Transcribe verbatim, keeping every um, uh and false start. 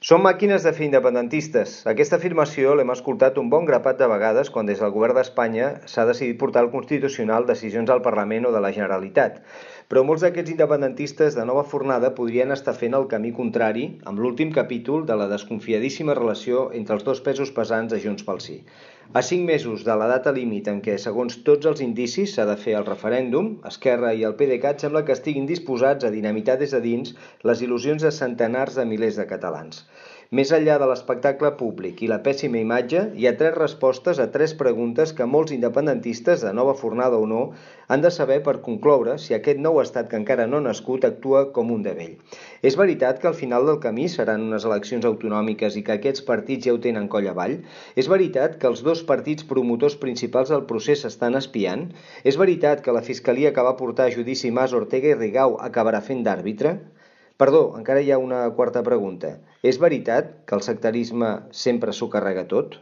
Som màquines de fer independentistes. Aquesta afirmació l'hem escoltat un bon grapat de vegades quan des del govern d'Espanya s'ha decidit portar al Constitucional decisions al Parlament o de la Generalitat. Però molts d'aquests independentistes de nova fornada podrien estar fent el camí contrari amb l'últim capítol de la desconfiadíssima relació entre els dos pesos pesants de Junts pel Sí. A cinc mesos de la data límit en què, segons tots els indicis, s'ha de fer el referèndum, Esquerra i el PDeCAT sembla que estiguin disposats a dinamitar des de dins les il·lusions de centenars de milers de catalans. Més enllà de l'espectacle públic i la pèssima imatge, hi ha tres respostes a tres preguntes que molts independentistes, de nova fornada o no, han de saber per concloure si aquest nou estat que encara no ha nascut actua com un de vell. És veritat que al final del camí seran unes eleccions autonòmiques i que aquests partits ja ho tenen coll avall? És veritat que els dos partits promotors principals del procés estan espiant? És veritat que la fiscalia que va portar a judici Mas, Ortega i Rigau acabarà fent d'àrbitre? Perdó, encara hi ha una quarta pregunta. És veritat que el sectarisme sempre s'ho carrega tot?